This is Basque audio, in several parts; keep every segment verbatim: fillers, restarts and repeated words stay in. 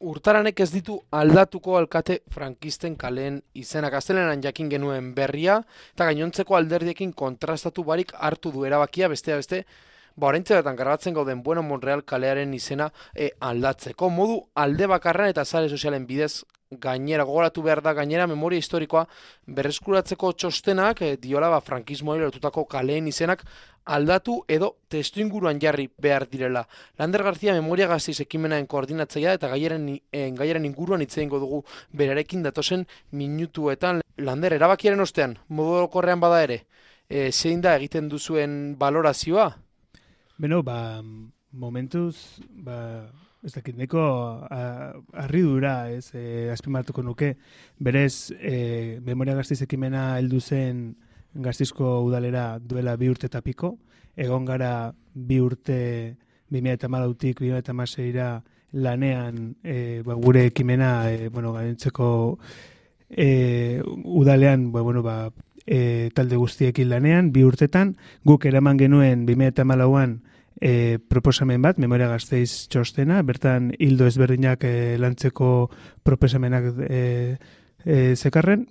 Urtaranek ez ditu aldatuko alkate frankisten kaleen izenak. Gaztelenan jakin genuen berria, eta gainontzeko alderdiekin kontrastatu barik hartu du erabakia, bestea beste, ba oraintxe bertan grabatzen gauden Bueno Monreal kalearen izena e, aldatzeko. Modu alde bakarran eta sare sozialen bidez gainera, gogoratu behar da gainera memoria historikoa berreskuratzeko txostenak e, diola ba, frankismoari lotutako kaleen izenak aldatu edo testuinguruan jarri behar direla. Lander García Memoria Gasteiz ekimenaren koordinatzailea eta gaiaren, e, gaiaren inguruan hitz egingo dugu berarekin datozen minutuetan. Lander, erabakiaren ostean, modu orokorrean bada ere, e, zein da egiten duzuen balorazioa? Beno, ba, momentuz, ba, ez dakit, neko harridura, ez, e, azpimartuko nuke, berez, e, Memoria Gasteiz ekimena heldu zen Gasteizko udalera duela bi urte eta piko, egon gara bi urte bi mila hamalautik bi mila hamaseira lanean e, ba, gure ekimena, e, bueno, gainontzeko e, udalean, ba, bueno, ba, E, talde guztiekin lanean, bi urtetan, guk eraman genuen bi mila hamalauan e, proposamen bat, Memoria Gasteiz txostena, bertan hildo ezberdinak e, lantzeko proposamenak e, e, zekarren,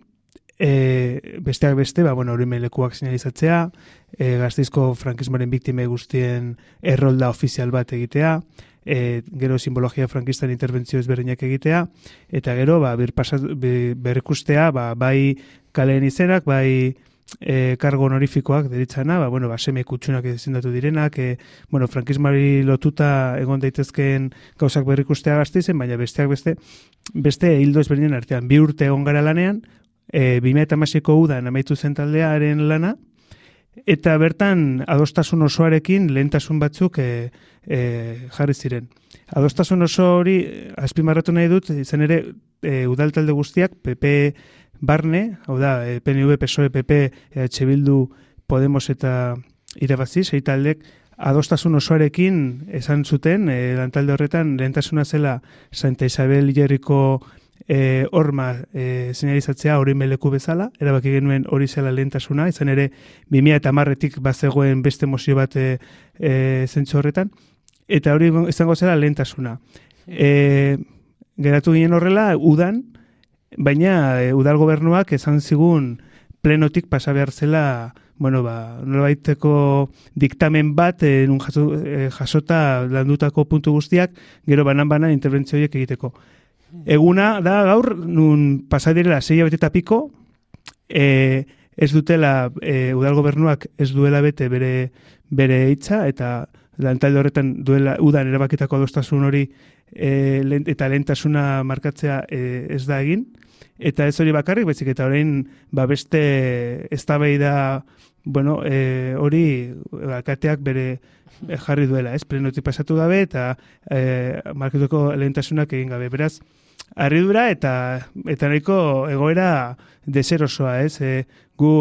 e, besteak beste, ba, bueno, hori lekuak sinalizatzea, e, Gasteizko frankismoaren biktime guztien errolda ofizial bat egitea, E, gero simbologia frankistan interbentzio ezberdinak egitea, eta gero ba, bir pasat, bir, berrikustea ba, bai kaleen izenak, bai e, kargo honorifikoak deritzana, ba, bueno, ba, seme kutsunak izendatu direnak, e, bueno, frankismari lotuta egon daitezkeen gauzak berrikustea Gasteizen, baina besteak beste, beste hildo ezberdinen artean, bi urte egon gara lanean, e, bi mila hamaseiko udan amaitu zen taldearen lana, eta bertan adostasun osoarekin lehentasun batzuk e, e, jarri ziren. Adostasun oso hori azpimarratu nahi dut, izan ere e, udal talde guztiak P P barne, hau da, e, P N V, P S O E, P P, E H Bildu, Podemos eta irabazi, sei taldek adostasun osoarekin esan zuten, e, lantalde horretan lehentasuna zela Santa Isabel Hilerriko E, horma e, señalizatzea hori meleku bezala, erabaki genuen hori zela lehentasuna, izan ere bi mila hamarretik bazegoen beste mozio bat e, e, zentzu horretan, eta hori izango zela lehentasuna. E, geratu ginen horrela, udan, baina e, udal gobernuak esan zigun plenotik pasa behar zela, bueno, ba, nolabaiteko diktamen bat e, nun jaso, e, jasota landutako puntu guztiak, gero banan-banan interbentzioiek egiteko. Eguna da gaur, nun pasadirela sei bete eta piko, e, ez dutela, e, udal gobernuak ez duela bete bere, bere hitza, eta lantalde horretan duela udan erabakitako adostasun hori e, lent, eta lehentasuna markatzea e, ez da egin, eta ez hori bakarrik, baizik eta orain ba beste eztabaida, bueno, e, hori alkateak bere jarri duela, ez, plenotik pasatu gabe, eta e, markatuko lehentasunak egin gabe, beraz, harridura eta eta nahiko egoera deserosoa, ez? E, gu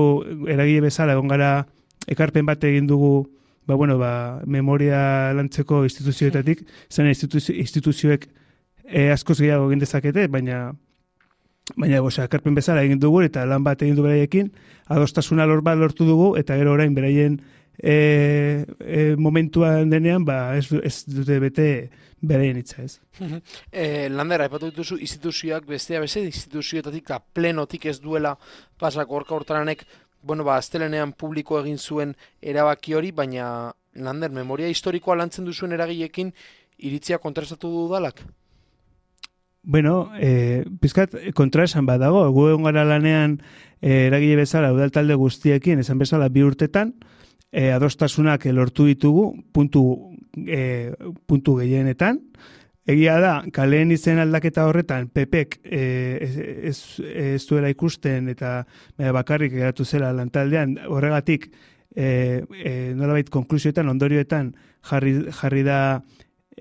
eragile bezala egon gara ekarpen bat egin dugu, ba bueno, ba memoria lantzeko instituzioetatik, zen instituzio, instituzioek e, askoz gehiago egin dezakete, baina baina osea, ekarpen bezala egin dugu eta lan bat egin du beraiekin, adostasuna lor bat lortu dugu eta gero orain beraien e, e, momentuan denean ba ez, ez dute bete beraien hitza, ez. e, Lander, aipatu dituzu instituzioak bestea beste instituzioetatik eta plenotik ez duela pasako Gorka Urtaranek, bueno, ba, astelenean publiko egin zuen erabaki hori, baina Lander, memoria historikoa lantzen duzuen eragilekin iritzia kontrastatu du udalak? Bueno, eh, pizkat kontraesan bat dago, gu egon gara lanean eh, eragile bezala udal talde guztiekin, esan bezala bi urtetan, eh, adostasunak lortu ditugu, puntu, eh, puntu gehienetan. Egia da, kaleen izen aldaketa horretan, Pepek eh, ez, ez duela ikusten eta eh, bakarrik geratu zela lantaldean, horregatik eh, eh, nolabait konklusioetan, ondorioetan jarri, jarri da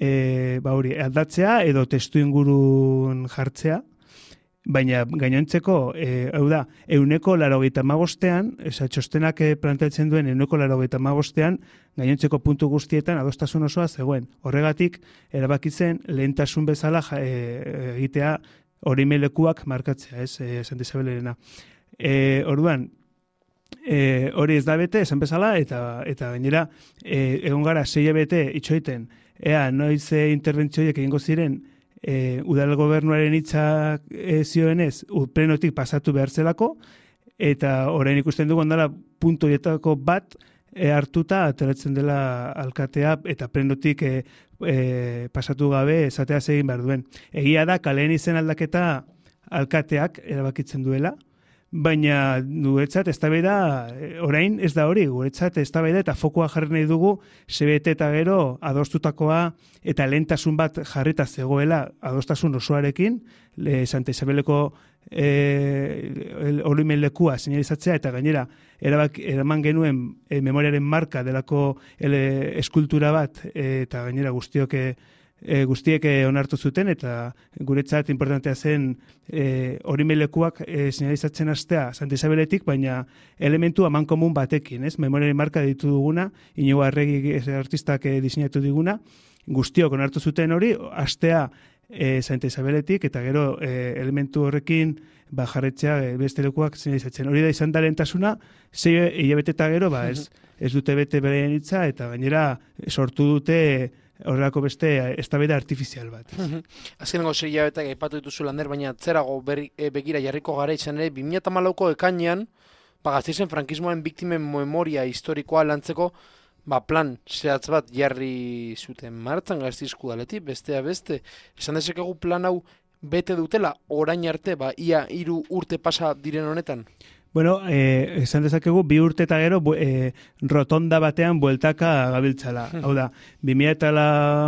E, ba hori, aldatzea edo testu ingurun jartzea, baina gainontzeko, e, hau da, euneko larogeita hamabostean, esa txostenak planteatzen duen euneko larogeita hamabostean, gainontzeko puntu guztietan adostasun osoa zegoen. Horregatik, erabakitzen lehentasun bezala e, egitea hori melekuak markatzea, ez, e, Santa Isabelerena. E, orduan, e, hori ez da bete, esan bezala, eta, eta gainera, e, egon gara sei bete itxoiten, ea, noiz interbentzioiek egingo ziren e, udal gobernuaren hitzak e, zioenez, plenotik pasatu behar zelako, eta orain ikusten dugu ondala puntu horietako bat e, hartuta ateratzen dela alkatea eta plenotik e, e, pasatu gabe esatea egin behar duen. Egia da, kaleen izen aldaketa alkateak erabakitzen duela, baina guretzat eztabaida orain ez da hori, guretzat eztabaida eta fokoa jarri nahi dugu sebete eta gero adostutakoa eta lehentasun bat jarrita zegoela adostasun osoarekin, le, Santa Isabeleko e, oroimen lekua señalizatzea eta gainera erabak, eraman genuen e, memoriaren marka delako ele, eskultura bat e, eta gainera guztiok E, guztiek e, onartu zuten eta guretzat importantea zen e, orimilekuak e, señalizatzen hastea Santa Isabeletik, baina elementu aman komun batekin, ez? Memoriaren marka ditu duguna, Inigo Arregi artistak e, diseinatu diguna, guztiok onartu zuten hori, hastea e, Santa Isabeletik eta gero e, elementu horrekin ba, jarretzea e, beste lekuak señalizatzen. Hori da izan da lehentasuna, sei hilabete eta gero, ba, ez, ez dute bete beren hitza eta gainera sortu dute horrelako beste eztabaida artifizial bat. Azkenengo sei hilabeteak aipatu dituzu Lander, baina atzerago berri, e, begira jarriko gara izan ere, bi mila hamalauko ekainean, ba, Gasteizen frankismoaren biktimen memoria historikoa lantzeko, ba, plan zehatz bat jarri zuten martzan Gasteizko udaletik, bestea beste. Esan dezakegu plan hau bete dutela, orain arte, ba, ia hiru urte pasa diren honetan? Bueno, eh, esan dezakegu, bi urte eta gero eh, rotonda batean bueltaka gabiltzala. Hau da, bi mila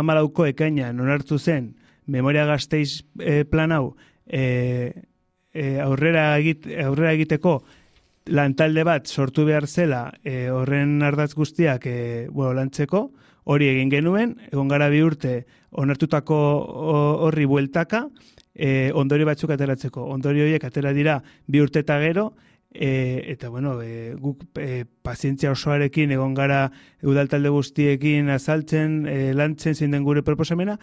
hamalauko ekainean onartu zen Memoria Gasteiz eh, plan hau eh, eh, aurrera, egit, aurrera egiteko lantalde bat sortu behar zela eh, horren ardatz guztiak eh, bueno, lantzeko, hori egin genuen, egon gara bi urte onartutako horri bueltaka, eh, ondori batzuk ateratzeko. Ondori horiek atera dira bi urte eta gero, E, eta bueno, e, guk e, pazientzia osoarekin egon gara udaltalde guztiekin azaltzen, e, lantzen zein den gure proposamena,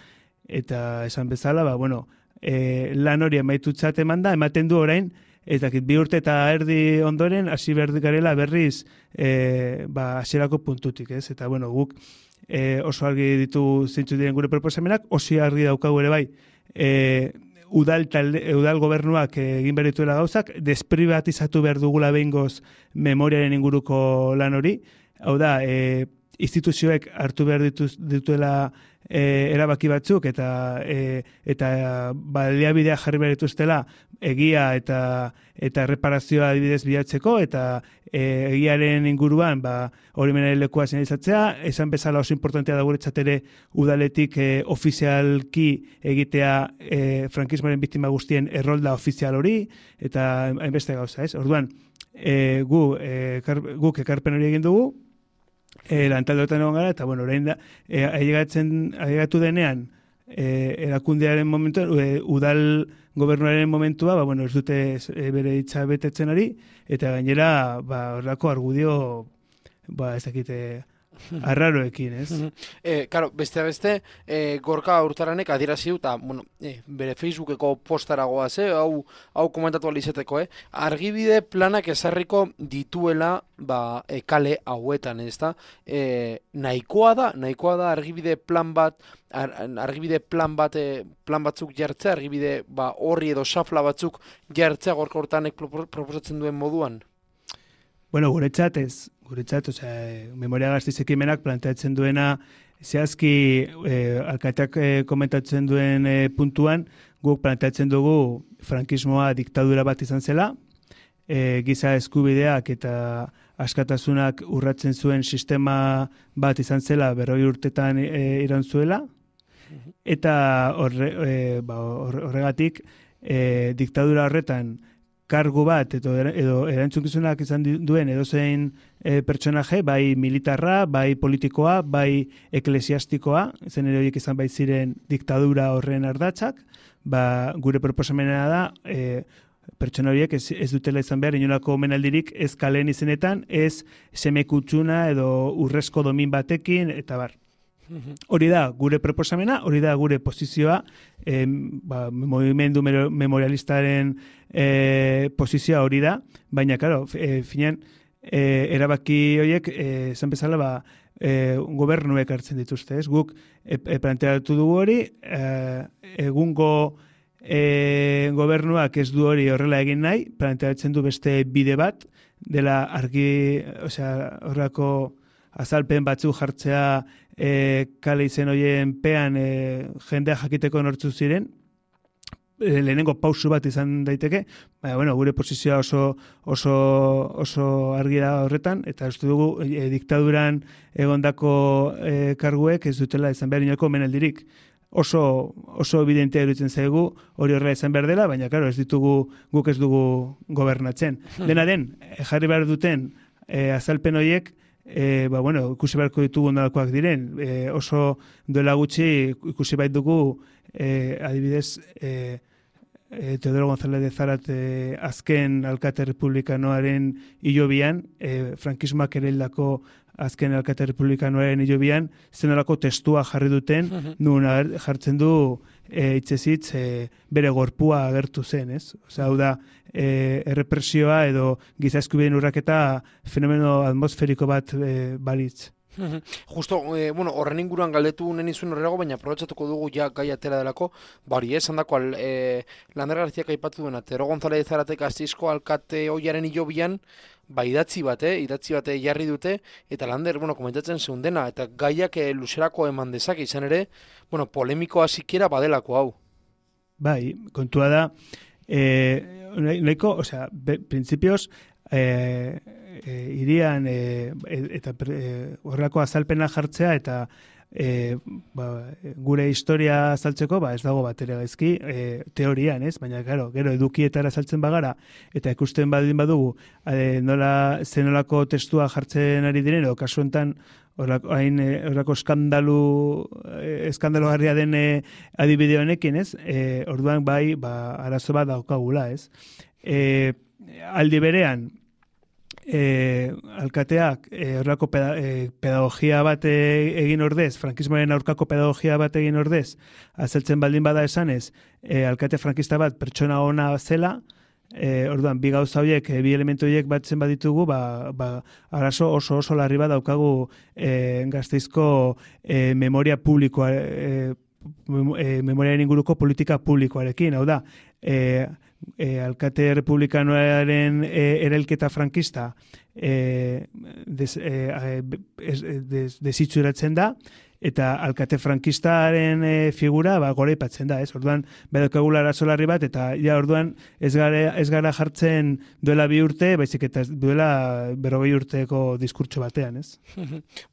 eta esan bezala, ba, bueno, e, lan hori amaitutzat eman da, ematen du orain, eta bi urte eta erdi ondoren, hasi behar garela berriz, e, ba, hasierako puntutik, ez? Eta bueno, guk e, oso argi ditu zeintzu diren gure proposamenak, oso argi daukagu ere bai, e, Udal, talde, udal gobernuak egin behar dituela gauzak, desprivatizatu behar dugula behingoz memoriaren inguruko lan hori. Hau da, e, instituzioek hartu behar dituz, dituela e, erabaki batzuk eta e, eta baliabidea jarri behar dituztela egia eta eta reparazioa adibidez bilatzeko eta e, egiaren inguruan ba, horimenaren lekua señalizatzea, esan bezala oso importantea da guretzat ere udaletik e, ofizialki egitea e, frankismoaren biktima guztien errolda ofizial hori eta hainbeste gauza, ez? Orduan, e, gu, e, kar, guk ekarpen hori egin dugu, E, lantaldeotan egon gara, eta bueno, orain da, e, ailegatu denean, e, erakundearen momentu, e, udal gobernuaren momentua, ba, bueno, ez dute e, bere hitza betetzen ari, eta gainera, ba, horrelako argudio, ba, ez dakite, arraroekin, ez? Eh, claro, beste beste, eh, Gorka Urtaranek adierazi du, eta, bueno, eh, bere Facebookeko postaragoaz, eh, hau, hau komentatu alizeteko, eh? Argibide planak ezarriko dituela, ba, e, kale hauetan, ez da? Eh, nahikoa da, nahikoa da argibide plan bat, ar, argibide plan bat, eh, plan batzuk jartzea, argibide, ba, horri edo xafla batzuk jartzea Gorka Urtaranek proposatzen duen moduan? Bueno, guretzat ez, guretzat, osea, Memoria Gasteiz ekimenak planteatzen duena, zehazki eh, alkateak eh, komentatzen duen eh, puntuan, guk planteatzen dugu frankismoa diktadura bat izan zela, eh, giza eskubideak eta askatasunak urratzen zuen sistema bat izan zela berrogei urtetan eh, iraun zuela, eta horre, eh, ba, horregatik eh, diktadura horretan kargu bat edo, edo erantzunkizunak izan duen edozein e, pertsonaje, bai militarra, bai politikoa, bai eklesiastikoa, zen ere horiek izan bai ziren diktadura horren ardatzak, ba, gure proposamena da e, pertsona horiek ez, ez dutela izan behar inolako omenaldirik ez kalen izenetan, ez semekutsuna edo urrezko domin batekin, eta bar. Hori da gure proposamena, hori da gure posizioa, eh, ba, movimendu memorialistaren eh, posizioa hori da, baina, claro, eh, finean, eh, erabaki horiek, eh, zan bezala, ba, e, gobernuek hartzen dituzte, ez? Guk e, e, planteatu dugu hori, e, egungo e, gobernuak ez du hori horrela egin nahi, planteatzen du beste bide bat, dela argi, osea, horrako azalpen batzu jartzea e, kale izen horien pean e, jendea jakiteko nortzu ziren, e, lehenengo pausu bat izan daiteke, baina, bueno, gure posizioa oso, oso, oso argi da horretan, eta uste dugu e, diktaduran egondako e, karguek ez dutela izan behar inolako menaldirik. Oso, oso evidentea iruditzen zaigu hori horrela izan behar dela, baina, claro, ez ditugu, guk ez dugu gobernatzen. Dena den, jarri behar duten e, azalpen horiek, e, ba, bueno, ikusi beharko ditugu nolakoak diren. E, oso duela gutxi ikusi bait dugu, e, adibidez, e, e, Teodoro González de Zárate azken alkate republikanoaren hilobian, e, frankismoak ere hildako azken alkate republikanoaren hilobian, zenolako testua jarri duten, nun jartzen du e, hitzezitz e, bere gorpua agertu zen, ez? Osea, hau da, e, errepresioa edo giza eskubideen urraketa fenomeno atmosferiko bat e, balitz. Justo, eh, bueno, horren inguruan galdetu neni zuen horrego, baina aprobetxatuko dugu ja gai atera delako, bari, esan dako, eh, Lander Garziak aipatu duena, Teodoro González de Zárate Gasteizko alkate hoiaren hilobian, ba, idatzi bat, eh, idatzi bat jarri dute, eta Lander, bueno, komentatzen zeundena, eta gaiak eh, luzerako eman dezake izan ere, bueno, polemikoa sikiera badelako hau. Bai, kontua da, eh, nahiko, osea, principios, eh, e, irian e, eta e, horrelako azalpena jartzea eta e, ba, gure historia azaltzeko ba, ez dago bat ere gaizki e, teorian, ez? Baina claro, gero edukietara azaltzen bagara eta ikusten badin badugu e, nola zenolako testua jartzen ari diren edo kasu honetan horrako hain horrako eskandalu eskandalogarria den e, adibide honekin, ez? E, orduan bai, ba arazo bat daukagula, ez? E, aldi berean E, alkateak e, horrako peda, e, pedagogia bat e, egin ordez, frankismoaren aurkako pedagogia bat egin ordez, azaltzen baldin bada esanez, e, alkate frankista bat pertsona ona zela, e, orduan, bi gauza horiek, e, bi elementu horiek batzen baditugu, ba, ba, arazo oso oso larri bat daukagu e, Gasteizko e, memoria publikoa, e, memoriaren inguruko politika publikoarekin, hau da, e, e, alkate republikanoaren e, erailketa frankista e, des, e, des, desitzuratzen da, eta alkate frankistaren e, figura ba, gore ipatzen da, ez? Orduan, badakagula arazo larri bat, eta ja orduan ez gara, ez gara jartzen duela bi urte, baizik eta duela berrogei urteko diskurtso batean, ez?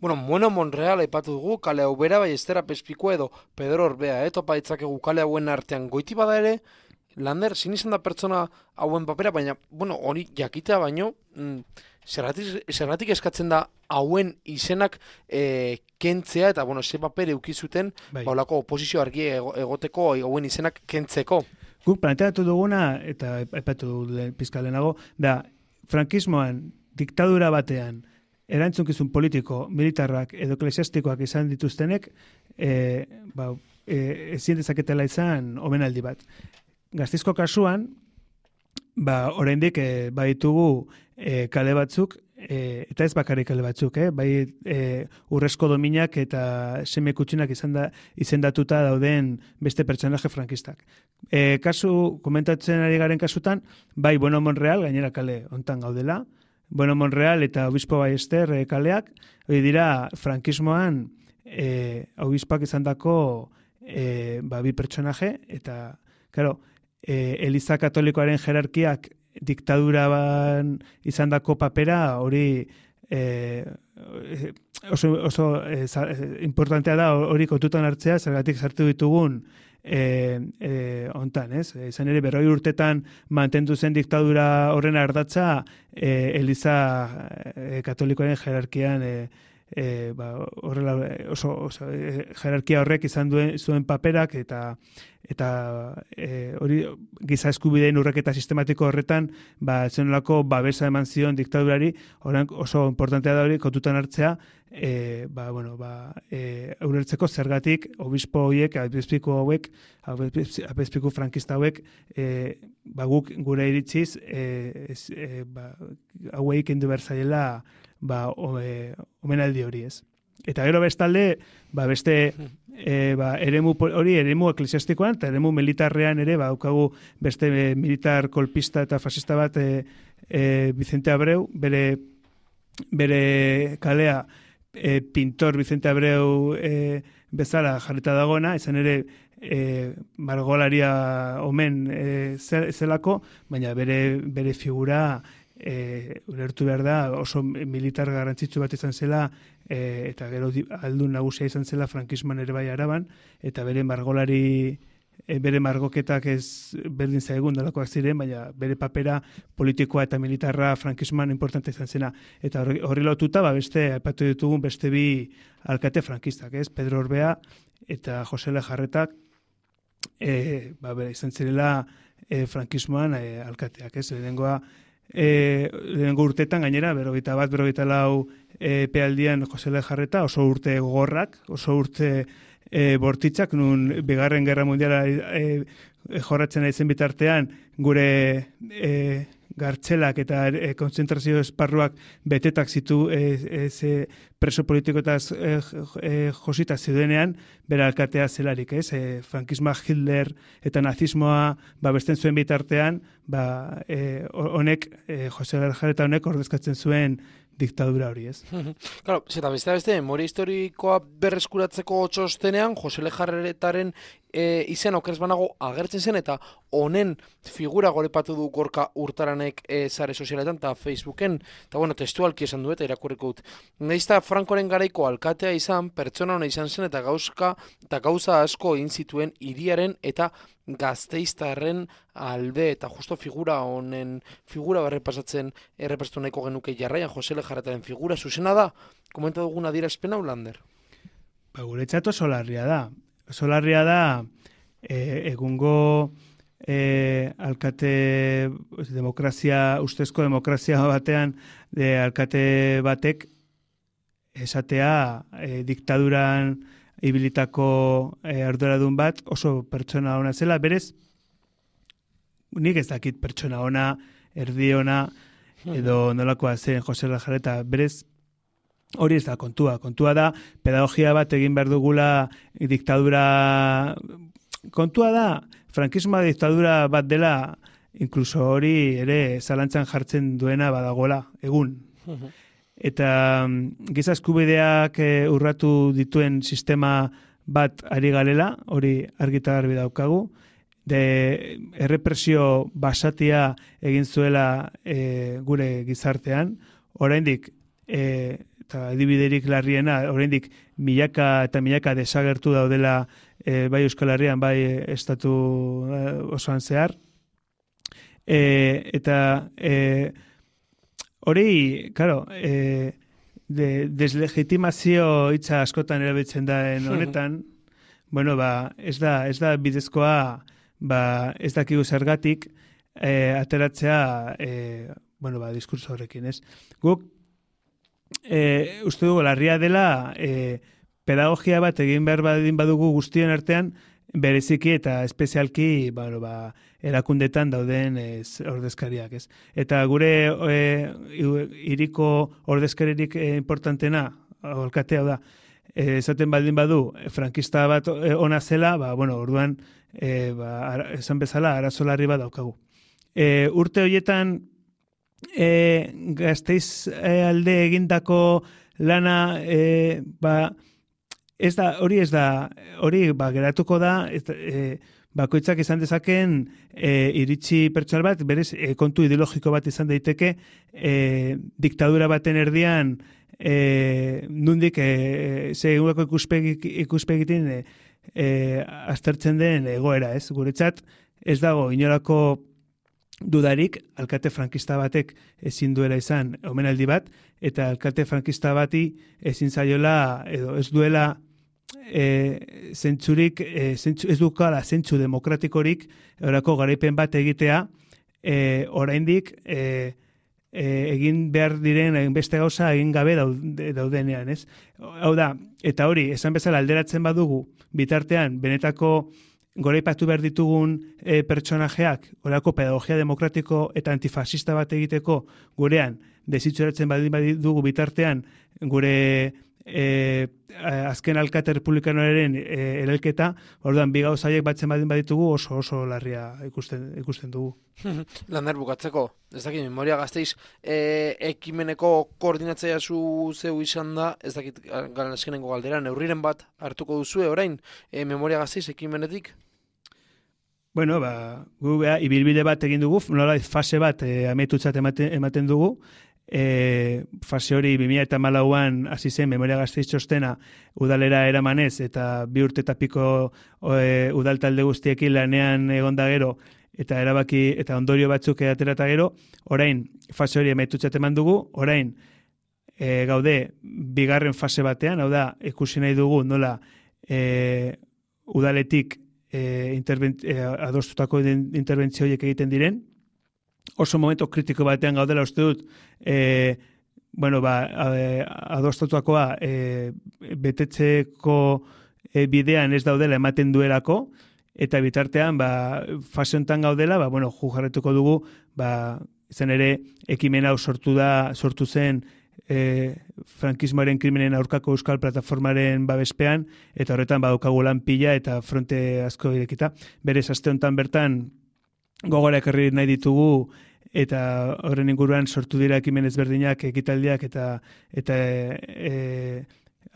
Bueno, Bueno Monreal aipatu dugu, kale hau bera, bai Estera Pespiko edo Pedro Orbea, eh? Topa ditzakegu kale hauen artean goiti bada ere, Lander, zin izan da pertsona hauen papera, baina, bueno, hori jakitea baino, mm, zergatik, zergatik eskatzen da hauen izenak e, kentzea, eta, bueno, ze paper eukizuten, bai. Baulako oposizio argi egoteko hauen izenak kentzeko. Guk planteatu duguna, eta aipatu dugu pizkalenago, da, frankismoan, diktadura batean, erantzunkizun politiko, militarrak edo eklesiastikoak izan dituztenek, e, ba, e, ezin dezaketela izan omenaldi bat. Gasteizko kasuan, ba, oraindik e, baditugu e, kale batzuk, e, eta ez bakarrik kale batzuk, eh? Bai e, urrezko dominak eta seme kutxinak izan da, izendatuta dauden beste pertsonaje frankistak. E, kasu, komentatzen ari garen kasutan, bai Bueno Monreal, gainera kale hontan gaudela, Bueno Monreal eta Obispo Ballester e, kaleak, hori dira frankismoan e, obispak izandako e, ba, bi pertsonaje, eta, claro, E, Eliza Katolikoaren jerarkiak diktaduraban izandako papera hori e, oso, oso e, za, e, importantea da hori kontutan hartzea, zergatik sartu ditugun e, e, ontan, ez? E, izan ere berroi urtetan mantendu zen diktadura horren ardatza e, Eliza e, Katolikoaren jerarkian e, E, ba, horrela, oso, oso e, jerarkia horrek izan duen zuen paperak eta eta e, hori giza eskubideen urraketa sistematiko horretan ba zenolako babesa eman zion diktadurari, orain oso importantea da hori kontutan hartzea, e, ba bueno, ba e, ulertzeko zergatik obispo hauek, apezpiku hauek, apezpiku frankista hauek e, ba guk gure iritziz e, ez, e, ba hauei kendu behar zaiela ba, o, e, omenaldi hori, ez. Eta gero bestalde, ba, beste e, ba, eremu hori eremu eklesiastikoan eta eremu militarrean ere ba, daukagu beste e, militar kolpista eta fascista bat e, e, Vicente Abreu, bere, bere kalea e, pintor Vicente Abreu e, bezala jarrita dagoena, izan ere e, margolaria omen e, zelako, baina bere, bere figura e, ulertu behar da oso militar garrantzitsu bat izan zela e, eta gero aldun nagusia izan zela frankismoan ere bai Araban, eta bere margolari e, bere margoketak ez berdin zaigun dalakoak ziren, baina bere papera politikoa eta militarra frankismoan importante izan zena. Eta horri, horri lotuta, ba, beste, aipatu ditugun beste bi alkate frankistak, ez? Pedro Orbea eta Jose Lejarretak e, ba, bere, izan zirela e, frankismoan e, alkateak, ez? Lehenengoa E, lehenengo urtetan gainera, berrogeita bat, berrogeita lau e, epealdian Jose Lejarreta, oso urte gogorrak, oso urte e, bortitzak, nun bigarren gerra mundiala e, e, jorratzen aizen bitartean, gure e, gartzelak eta e, kontzentrazio esparruak betetak zitu e, e, ze preso politikoetaz e, e, josita zeudenean, bera alkatea zelarik, ez? E, frankismoa, Hitler eta nazismoa babesten zuen bitartean, ba, e, honek, e, Jose Lejarreta honek ordezkatzen zuen diktadura hori, ez? Claro, zeta beste beste, memoria historikoa berreskuratzeko txostenean, Jose Lejarretaren e, izen okerez banago agertzen zen, eta honen figura gorepatu du Gorka Urtaranek e, sare sozialetan eta Facebooken, eta bueno, testualki esan du eta irakurriko dut. Naizta Frankoren garaiko alkatea izan, pertsona hona izan zen, eta gauzka, eta gauza asko egin zituen hiriaren eta Gasteiztarren alde, eta justo figura honen figura berrepasatzen errepastu nahiko genuke jarraian Jose Lejarretaren figura zuzena da, komenta dugun adierazpen hau, Lander? Ba, guretzat oso larria da. Oso larria da e, egungo e, alkate demokrazia, ustezko demokrazia batean de alkate batek esatea e, diktaduran ibilitako e, arduradun bat oso pertsona ona zela, berez nik ez dakit pertsona ona, erdi ona edo nolakoa zen Jose Lejarreta, berez hori ez da kontua. Kontua da pedagogia bat egin behar dugula diktadura, kontua da frankismoa diktadura bat dela, inkluso hori ere zalantzan jartzen duena badagoela egun. Eta giza eskubideak e, urratu dituen sistema bat ari galela, hori argita garbi daukagu, de errepresio basatia egin zuela e, gure gizartean, oraindik e, eta adibiderik larriena, oraindik milaka eta milaka desagertu daudela e, bai Euskal Herrian, bai estatu e, osoan zehar, e, eta e, hori, claro, e, de, deslegitimazio hitza askotan erabiltzen da honetan, bueno, ba, ez da, ez da bidezkoa, ba, ez dakigu zergatik e, ateratzea, e, bueno, ba, diskurso horrekin, ez? Guk, e, uste dugu, larria dela, e, pedagogia bat egin behar badin badugu guztion artean, bereziki eta espezialki, bueno, ba, erakundetan dauden ez, ordezkariak, ez. Eta gure e, iriko ordezkaririk e, importantena, alkatea da, e, esaten baldin badu, frankista bat e, ona zela, ba, bueno, orduan, e, ba, ara, esan bezala, arazo larri bat daukagu. E, urte horietan, e, Gasteiz e, alde egindako lana, e, ba, ez da, hori ez da, hori ba, geratuko da, ez, e, bakoitzak izan dezaken e, iritsi pertsonal bat, berez e, kontu ideologiko bat izan daiteke, e, diktadura baten erdian, e, nundik e, ze egulako ikuspegitin e, e, aztertzen den egoera, ez? Guretzat ez dago inolako dudarik, alkate frankista batek ezin duela izan omenaldi bat, eta alkate frankista bati ezin zaiola, edo ez duela E, zentzurik, e, zentzu, ez dukala zentzu demokratikorik orako garaipen bat egitea e, oraindik e, e, egin behar diren beste gauza egin gabe daude, daudenean, ez? Hau da, eta hori, esan bezala alderatzen badugu bitartean benetako goraipatu behar ditugun e, pertsonajeak orako pedagogia demokratiko eta antifascista bat egiteko gurean desitxuratzen baldin badugu bitartean gure e, azken alkate republikanoaren e, erelketa, orduan bi gauza haiek batzen badin baditugu oso oso larria ikusten ikusten dugu. Lander, bukatzeko, ez dakit, Memoria Gasteiz e, ekimeneko koordinatzailea zu zeu izan da, ez dakit garen azkenengo galdera, neurriren bat hartuko duzue orain, e, Memoria Gasteiz ekimenetik? Bueno, ba, gu beha, ibilbide bat egin dugu, nola fase bat e, ametutzat ematen, ematen dugu, e, fase hori bi mila hamalauan hasi zen Memoria Gasteiz txostena udalera eramanez, eta bi urte eta piko e, udal talde guztiekin lanean egonda gero, eta erabaki eta ondorio batzuk atera eta gero, orain fase hori amaitutzat eman dugu, orain e, gaude bigarren fase batean, hau da, ikusi nahi dugu nola e, udaletik e, e, adostutako interbentzio horiek egiten diren, oso momento kritiko batean gaudela uste dut, e, bueno, ba, adostatuakoa e, betetzeko e, bidean ez daudela ematen duelako, eta bitartean, ba, fase honetan gaudela, ba, bueno, ju jarretuko dugu, ba, izan ere, ekimen hau sortu da, sortu zen, e, frankismoaren krimenen aurkako euskal plataformaren babespean, eta horretan, ba, daukagu lan pila, eta fronte asko irekita. Berez, aste honetan bertan, gogora ekarri nahi ditugu, eta horren inguruan sortu dira ekimen ezberdinak, ekitaldiak, eta, eta e,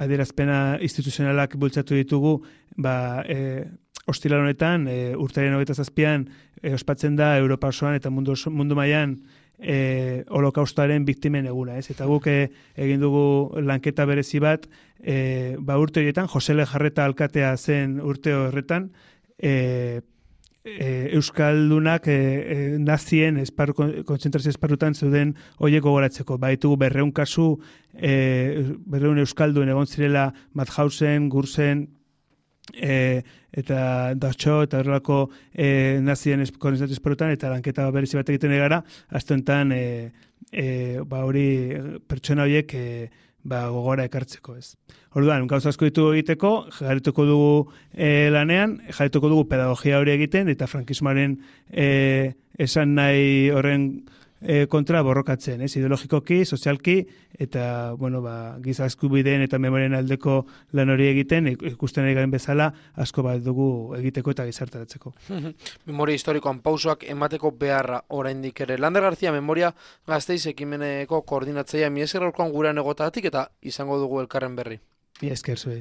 adierazpena instituzionalak bultzatu ditugu, ba, e, ostiral honetan, e, urtaren hogeita zazpian, e, ospatzen da Europa osoan eta mundu, mundu mailan e, holokaustoaren biktimen eguna, ez? Eta guk e, egin dugu lanketa berezi bat, e, ba urte horietan, Jose Lejarreta alkatea zen urte horretan, e, e, Euskaldunak e, e, nazien esparru, kontzentrazio esparrutan zeuden horiek gogoratzeko. Ba, ditugu berreun kasu, e, berreun Euskaldun egon zirela Mauthausen, Gursen, E, eta Dachau eta horrelako e, nazien konzentrazio esparrutan eta lanketa berezi bat egiten gara, azte honetan e, e, ba hori pertsona horiek e, ba, gogora ekartzeko, ez. Orduan, gauza asko ditugu egiteko, jarrituko dugu e, lanean, jarrituko dugu pedagogia hori egiten, eta frankismoaren e, esan nahi horren e, kontra borrokatzen, ez, ideologikoki, sozialki, eta, bueno, ba, giza eskubideen eta memorien aldeko lan hori egiten, ikusten ari garen bezala, asko bat dugu egiteko eta gizartaratzeko. Memoria historikoan pausoak emateko beharra oraindik ere. Lander García, Memoria Gasteiz ekimeneko koordinatzailea, mi esker gaurkoan gurean egotagatik eta izango dugu elkarren berri. Mi esker zuei.